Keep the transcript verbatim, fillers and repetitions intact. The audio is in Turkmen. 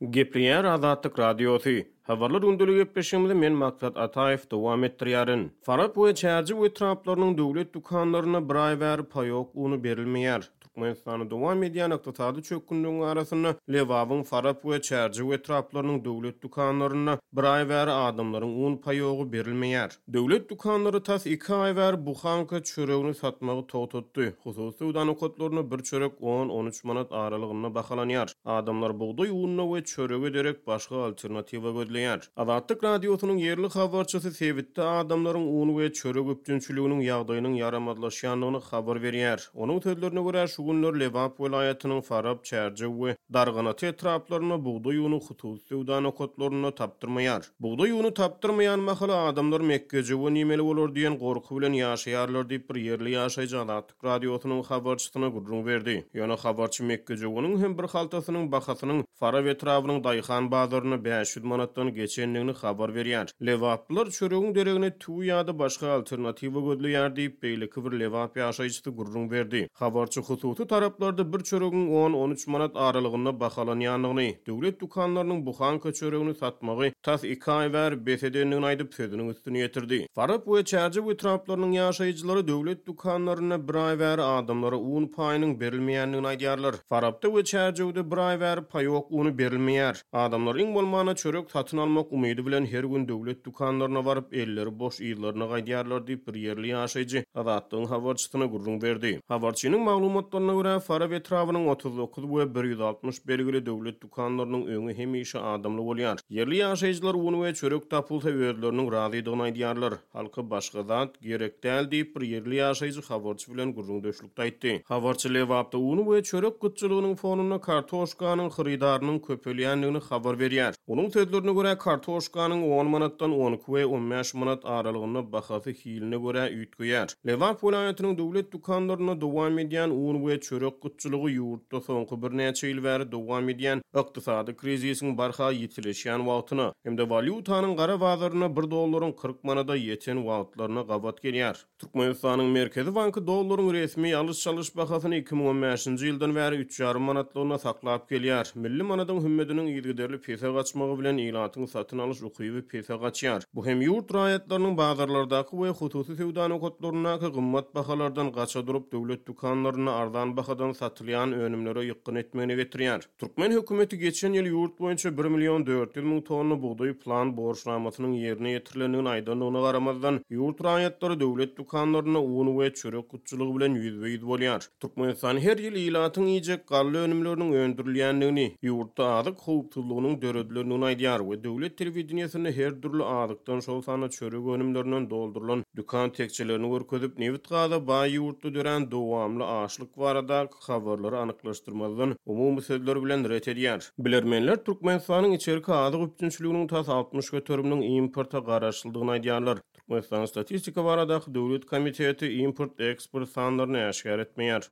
Gepleýär Azatlyk Radiosy. Habarlar gündeligi gepleşigimizi men Maksat Ataýew dowam etdirýärin. Farap we Çärjew etraplarynyň döwlet dükanlarynda bir aý bäri paýok uny berilmeýär. Türkmenistanda dowam edýän ykdysady çökgünligiň arasynda Lebabyň Farap we Çärjew etraplarynyň döwlet dükanlarynda bir aý bäri adamlaryň un paýogy berilmeýär. Döwlet dükanlary tas iki aý bäri buhanka çöregini satmagy togtatdy. Hususy söwda nokatlarynda bir çörek on-on üç manat aralygynda bahalanýar. Adamlar bugdaý ununa we çörege derek başga alternatiwa gözleýär. Azatlyk Radiosynyň ýerli habarçysy sebitde adamlaryň un we çörek üpjünçiliginiň ýagdaýynyň ýaramazlaşýandygyny habar berýär. Onuň sözlerine görä, şu günler Lebap welaýatynyň Farap, Çärjew we Darganata etraplarynda bugdaý uny hususy söwda nokatlarynda tapdyrmaýar. Bugdaý uny tapdyrmaýan mahaly adamlar mekgejöwen iýmeli bolar diýen gorky bilen ýaşaýarlar diýip bir ýerli ýaşaýjy Azatlyk Radiosynyň habarçysyna gürrüň berdi. Ýöne habarçy mekgejöweniň hem bir haltasynyň bahasynyň Farap etrabynyň daýhan bazarynda bäş ýüz manatdan geçendigini habar berýär. Lebaplylar çöregiň deregine tüwi ýa-da başga alternatiwa gözleýär diýip beýleki bir Lebap ýaşaýjysy gürrüň berdi. Habarçy hususy taraplarda bir çöregiň on-on üç manat aralygynda bahalanýandygyny, döwlet dükanlarynyň buhanka çöregini satmagy tas iki aý bäri bes edendigini aýdyp sözüniň üstüni ýetirdi. Farap we Çärjew etraplarynyň ýaşaýjylary döwlet dükanlarynda bir aý bäri adamlara un paýynyň berilmeýändigini aýdýarlar. Farapda we Çärjewde bir aý bäri paýok uny berilmeýär. Adamlar iň bolmanda çörek satyn almak umydy bilen her gün döwlet dükanlaryna baryp elleri boş yzlaryna gaýdýarlar diýip bir ýerli ýaşaýjy Azatlygyň habarçysyna gürrüň berdi. Habarçynyň maglumatlaryna görä, Farap etrabynyň otuz dokuz we bir ýüz altmyş belgili döwlet dükanlarynyň öňi hemişe adamly bolýar. Ýerli ýaşaýjylar un we çörek tapylsa özleriniň razydygyny aýdýarlar. Halka başga zat gerek däl diýip bir ýerli ýaşaýjy habarçy bilen gürrüňdeşlikde aýtdy. Habarçy Lebapda un we çörek gytçylygynyň fonunda kartoşkanyň hyrydarynyň köpelýändigini habar berýär. Onuň sözlerine görä, kartoşkanyň on manatdan on iki we on bäş manat aralygynda bahasy hiline görä üýtgeýär. Lebap welaýatynyň döwlet dükanlarynda dowam edýän un we çörek gytçylygy ýurtda soňky birnäçe ýyl bäri dowam edýän ykdysady krizisiň barha ýitileşýän wagtyna hem-de walýutanyň gara bazarynda bir dollaryň kyrk manada ýeten wagtlaryna gabat gelýär. Türkmenistanyň Merkezi Banky dollaryň resmi alyş-çalyş bahasyny iki müň on bäşinji ýyldan bäri üç ýarym manatlygyna saklap gelýär. Milli manadyň hümmediniň yzygiderli pese gaçmagy bilen ilatyň satyn alyş ukyby pese gaçýar. Bu hem ýurt raýatlarynyň bazarlardaky we hususy söwda nokatlaryndaky gymmat bahalardan gaça durup döwlet dükanlarynda arzan bahadan satylýan önümlere ýykgyn etmegine getirýär. Türkmen hökümeti geçen ýyl ýurt boýunça bir million dört ýüz müň tonna bugdaý plan borçnamasynyň ýerine ýetirilendigini aýdandygyna garamazdan, ýurt raýatlary döwlet dükanlarynda un we çörek gytçylygy bilen ýüzbe-ýüz bolýar. Türkmenistan her ýyl ilatyň iýjek galla önümleriniň öndürilýändigini, ýurtda azyk howpsuzlygynyň döredilendigini aýdýar we döwlet telewideniýesinde her dürli azykdan, şol sanda çörek önümlerinden doldurylan dükan tekjelerini görkezip, nebit gaza baý ýurtda dörän dowamly açlyk baradaky habarlary anyklaşdyrmazdan umumy sözler bilen ret edýär. Bilermenler Türkmenistanyň içerki azyk üpjünçiliginiň tas altmyş göteriminiň importa garaşlydygyny aýdýarlar. Türkmenistan Statistika baradaky döwlet komiteti import-eksport sanlaryny äşgär etmeýär.